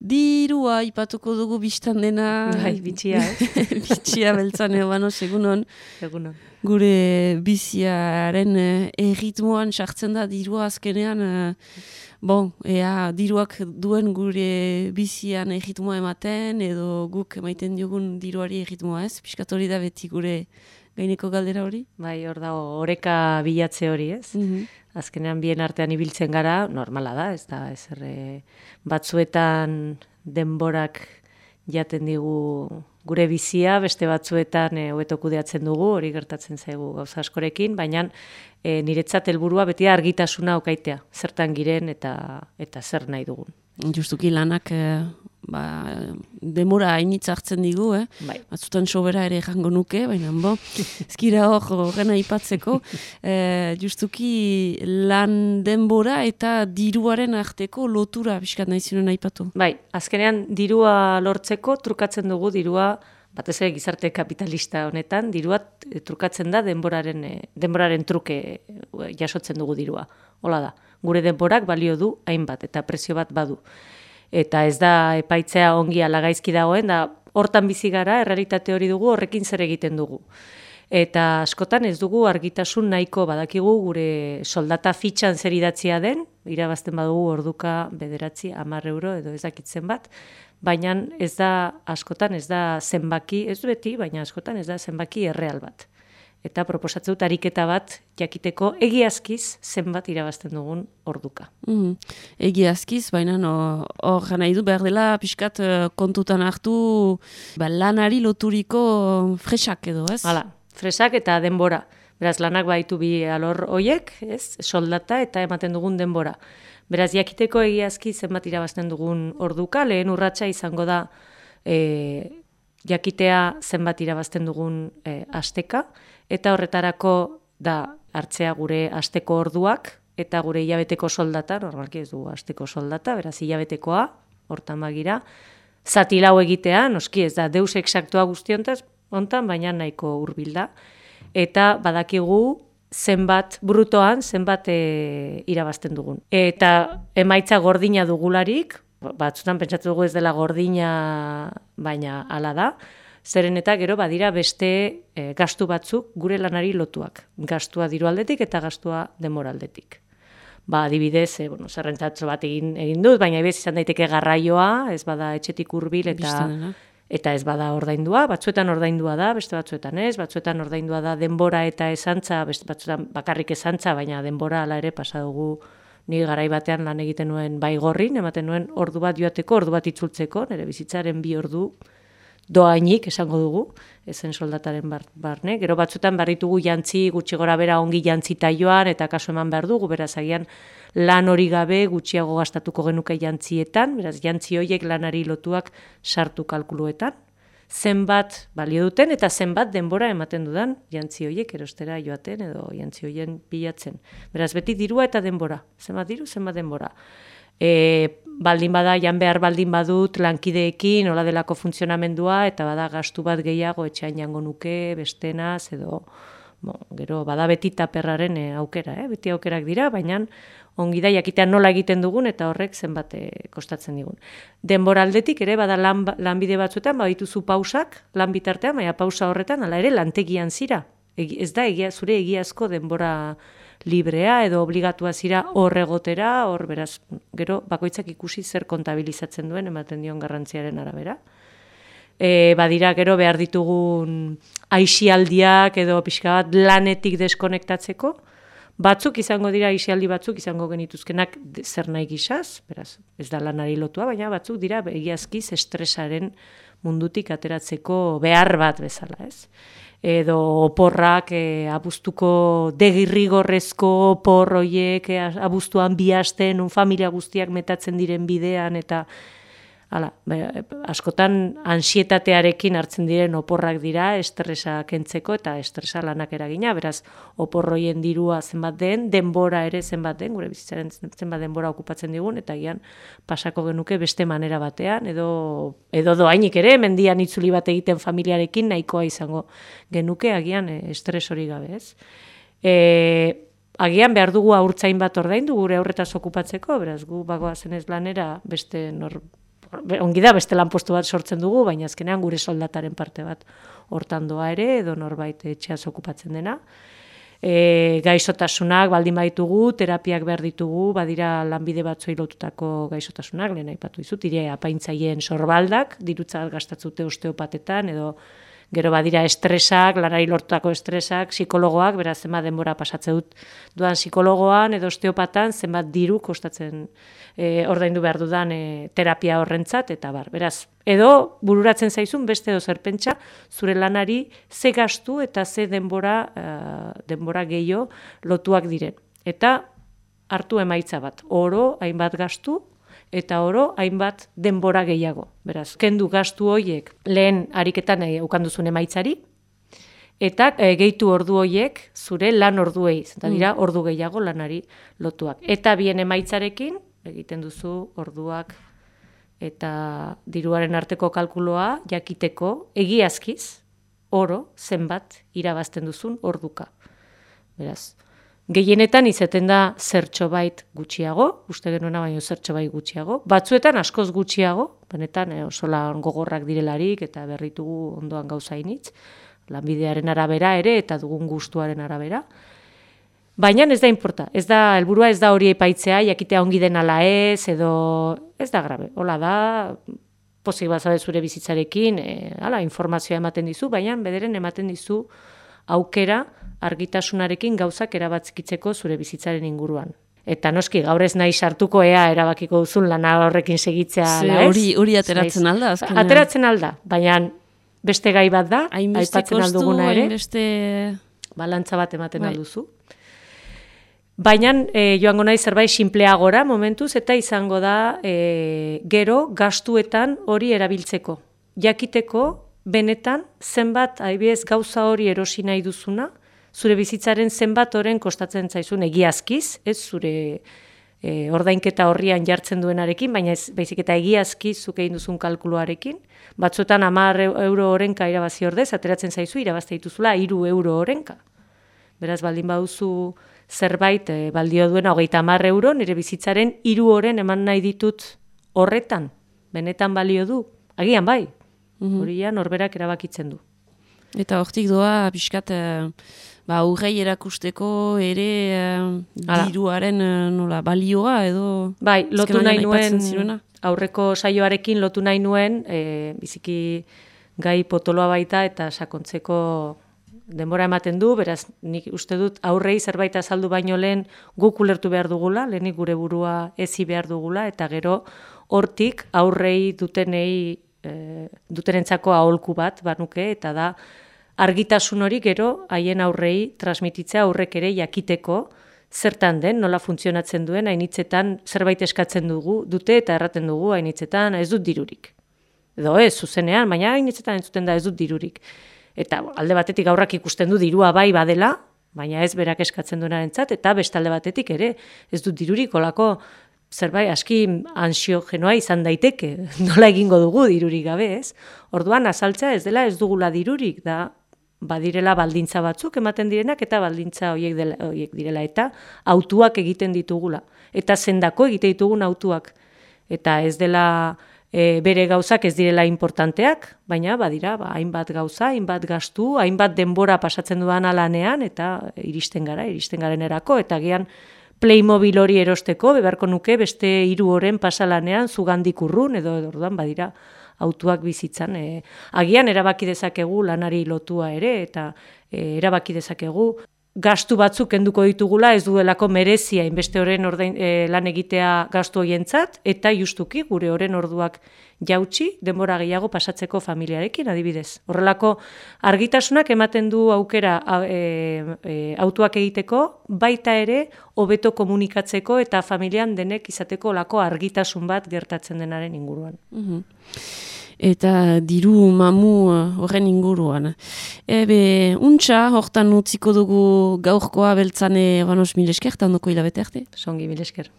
dirua ipatuko dugu biztan dena. Bai, bitxia, Bitxia beltzan egon, segunon. Egunon. Gure biziaren erritmoan sartzen da dirua azkenean. Ea diruak duen gure bizian erritmoa ematen, edo guk emaiten diogun diruari erritmoa ez? Piskat hori da beti gure gaineko galdera hori? Bai, hor dago, oreka bilatze hori, ez? Azkenean bien artean ibiltzen gara, normala da, ez da, batzuetan denborak jaten digu gure bizia, beste batzuetan hobeto kudeatzen dugu, hori gertatzen zaigu gauza askorekin, baina niretzat helburua beti argitasuna okaitea, zertan giren eta zer nahi dugun. Justuki lanak demora hainitza hartzen digu, Bai. Batzutan sobera ere jango nuke, baina ezkira horren aipatzeko, justuki lan denbora eta diruaren arteko lotura biskat nahi zinuen aipatu. Bai, azkenean dirua lortzeko trukatzen dugu dirua, batez ere gizarte kapitalista honetan, dirua trukatzen da denboraren truke jasotzen dugu dirua. Hola da, gure denborak balio du hainbat eta prezio bat badu. Eta ez da epaitzea ongi ala gaizki dagoen, da hortan bizi gara, errealitate hori dugu, horrekin zer egiten dugu. Eta askotan ez dugu argitasun nahiko badakigu gure soldata fitxan zer idatzia den, irabazten badugu orduka 9, 10 euro edo ez dakitzen bat, baina ez da askotan ez da zenbaki, ez beti, baina askotan ez da zenbaki erreal bat. Eta proposatzen dut ariketa bat jakiteko egiazkiz zenbat irabazten dugun orduka. Egiazkiz, baina hor nahi du behar dela pixkat kontutan hartu lanari loturiko fresak edo, ez? Hala, fresak eta denbora. Beraz, lanak baitu bi alor hoiek, ez? Soldata eta ematen dugun denbora. Beraz, jakiteko egiazki zenbat irabazten dugun orduka, lehen urratsa izango da jakitea zenbat irabazten dugun asteka, eta horretarako da hartzea gure asteko orduak eta gure hilabeteko soldata, normalki ez dugu asteko soldata, beraz hilabetekoa, hortan bagira, zati lau egitea, noski ez da deus exaktua guztiontaz, hontan, baina nahiko hurbil da, eta badakigu zenbat brutoan, zenbat irabazten dugun. Eta emaitza gordina dugularik, batzutan pentsatu dugu ez dela gordina, baina hala da, zeren eta gero badira beste gastu batzuk gure lanari lotuak. Gastua diru aldetik eta gastua denbora aldetik. Adibidez, zerrentzatxo bat egin dut, baina ibez izan daiteke garraioa, ez bada etxetik hurbil eta ez bada ordaindua, batzuetan ordaindua da, beste batzuetan ez, batzuetan ordaindua da denbora eta esantza, beste batzuetan bakarrik esantza, baina denbora ala ere pasa dugu ni garai batean lan egiten nuen Baigorrin, ematen nuen ordu bat joateko, ordu bat itzultzeko, nire bizitzaren 2 ordu doainik esango dugu, ezen soldataren barne. Gero batzuetan barritugu jantzi gutxi gora bera ongi jantzita joan eta kasu eman behar dugu, beraz agian lan hori gabe gutxiago gastatuko genuke jantzietan, beraz jantzi horiek lanari lotuak sartu kalkuluetan. Zenbat balio duten eta zenbat denbora ematen dudan jantzi horiek erostera joaten edo jantzi horien bilatzen. Beraz beti dirua eta denbora. Zenbat diru, zenbat denbora. Baldin bada, jan behar baldin badut lankideekin, hola delako funtzionamendua, eta bada gastu bat gehiago etxean jango nuke, bestenaz, edo gero bada beti taperraren aukera, beti aukerak dira, baina ongi da jakitean nola egiten dugun eta horrek zenbat kostatzen digun. Denbora aldetik ere bada lanbide batzuetan, badituzu pausak, lan bitartean, baina pausa horretan, hala ere lantegian zira. Ez da zure egiazko denbora librea edo obligatua zira hor egotera, hor beraz, gero bakoitzak ikusi zer kontabilizatzen duen ematen dion garrantziaren arabera. Badira gero behar ditugun aisialdiak edo pixka bat lanetik deskonektatzeko, batzuk izango dira aisialdi batzuk izango genituzkenak zer nahi gisaz, beraz, ez da lanari lotua, baina batzuk dira egiazkiz estresaren mundutik ateratzeko behar bat bezala, ez? Edo oporrak, abuztuko degirrigorrezko opor hoiek, abuztuan 2 aste, familia guztiak metatzen diren bidean, eta askotan ansietatearekin hartzen diren oporrak dira, estresa kentzeko eta estresa lanak eragina, beraz, oporroien dirua zenbat den, denbora ere zenbat den, gure bizitzaren zenbat denbora okupatzen digun, eta gian pasako genuke beste manera batean, edo doainik ere, mendian itzuli bat egiten familiarekin nahikoa izango genuke, agian estres hori gabe, ez? Agian behar dugu haurtzain bat ordaindu gure aurretaz okupatzeko, beraz, gu bagoazen ez lanera beste ongi da beste lanpostu bat sortzen dugu, baina azkenean gure soldataren parte bat hortan doa ere, edo norbait etxeaz okupatzen dena. Gaixotasunak baldin baitugu, terapiak behar ditugu, badira lanbide batzuei lotutako gaixotasunak, lehen aipatu dizut, apaintzaileen sorbaldak, dirutza gastatzute osteopatetan, edo gero badira estresak, lanari lortutako estresak, psikologoak, beraz zenbat denbora pasatze dut duan psikologoan edo osteopatan, zenbat diru kostatzen ordaindu behar dudan terapia horrentzat, eta bar. Beraz, edo bururatzen zaizun beste edo zerpentsa, zure lanari ze gastu eta ze denbora gehiago lotuak diren. Eta hartu emaitza bat, oro hainbat gastu, eta oro hainbat denbora gehiago. Beraz, kendu gastu horiek lehen ariketan ukanduzun emaitzari, eta gehitu ordu horiek zure lan orduei, eta dira ordu gehiago lanari lotuak. Eta bien emaitzarekin, egiten duzu orduak eta diruaren arteko kalkuloa jakiteko egiazkiz, oro zenbat irabazten duzun orduka. Beraz, gehienetan izaten da zertxobait gutxiago, uste genuena baino zertxobait gutxiago, batzuetan askoz gutxiago, benetan oso lan gogorrak direlarik eta berritugu ondoan gauzainitz, lanbidearen arabera ere eta dugun gustuaren arabera. Baina ez da inporta, helburua ez da hori epaitzea, jakitea ongi den ala ez, edo ez da grabe. Hola da, pozik bazabe zure bizitzarekin, informazioa ematen dizu, baina bederen ematen dizu aukera argitasunarekin gauzak erabakitzeko zure bizitzaren inguruan. Eta noski, gaur ez nahi sartuko erabakiko duzun lana horrekin segitzea. Hori ateratzen alda? Ateratzen alda, baina beste gai bat da, aipatzen alduguna ere, balantza bat ematen alduzu. Baina joango nahi zerbait sinpleagora momentuz, eta izango da gero gastuetan hori erabiltzeko. Jakiteko, benetan, zenbat, adibidez, gauza hori erosi nahi duzuna, zure bizitzaren zenbat horren kostatzen zaizun egiazkiz, ez zure ordainketa horrian jartzen duenarekin, baina ez baizik eta egiazkiz zuk egin duzun kalkuluarekin. Batzuetan 10 euro horrenka irabazi ordez, ateratzen zaizu irabazte dituzula 3 euro horrenka. Beraz, baldin baduzu zerbait baldio duena 30 euro, nire bizitzaren 3 horren eman nahi ditut horretan. Benetan balio du. Agian bai. Horian norberak erabakitzen du. Eta hortik doa, pixkat, urrei erakusteko ere diruaren balioa edo... Bai, lotu nahi nuen, aurreko saioarekin lotu nahi nuen, biziki gai potoloa baita eta sakontzeko denbora ematen du, beraz, nik uste dut aurrei zerbait azaldu baino lehen guk ulertu behar dugula, lehenik gure burua ezi behar dugula, eta gero hortik aurrei dutenentzako aholku bat banuke, eta da argitasun hori gero haien aurrei transmititzea aurrek ere jakiteko zertan den, nola funtzionatzen duen, hainitzetan zerbait eskatzen dute eta erraten dugu hainitzetan ez dut dirurik. Edo ez, zuzenean, baina hainitzetan entzuten da ez dut dirurik. Eta alde batetik aurrak ikusten du dirua bai badela, baina ez berak eskatzen duenarentzat, eta beste alde batetik ere ez dut dirurik, olako zerbait aski ansiogenoa izan daiteke, nola egingo dugu dirurik gabe, ez? Orduan azaltzea ez dela ez dugula dirurik, da badirela baldintza batzuk ematen direnak, eta baldintza horiek direla, eta autuak egiten ditugula. Eta zendako egite ditugun autuak. Eta ez dela bere gauzak ez direla importanteak, baina badira hainbat gauza, hainbat gastu, hainbat denbora pasatzen dudan alanean, eta iristen garenerako, eta gian Playmobil hori erosteko, beharko nuke beste 3 horren pasalanean zugandik urrun, edo orduan badira autuak bizitzan. Agian erabaki dezakegu lanari lotua ere, eta erabaki dezakegu gastu batzuk kenduko ditugula, ez duelako merezia inbeste horren lan egitea gastu hoientzat, eta justuki gure horren orduak jautsi, denbora gehiago pasatzeko familiarekin adibidez. Horrelako argitasunak ematen du aukera autuak egiteko, baita ere hobeto komunikatzeko eta familian denek izateko lako argitasun bat gertatzen denaren inguruan. Eta diru mamu horren inguruan. Untxa, hortan utziko dugu gaurkoa beltzane Banos, mil esker, eta ondoko hilabete arte. Songi, mil esker.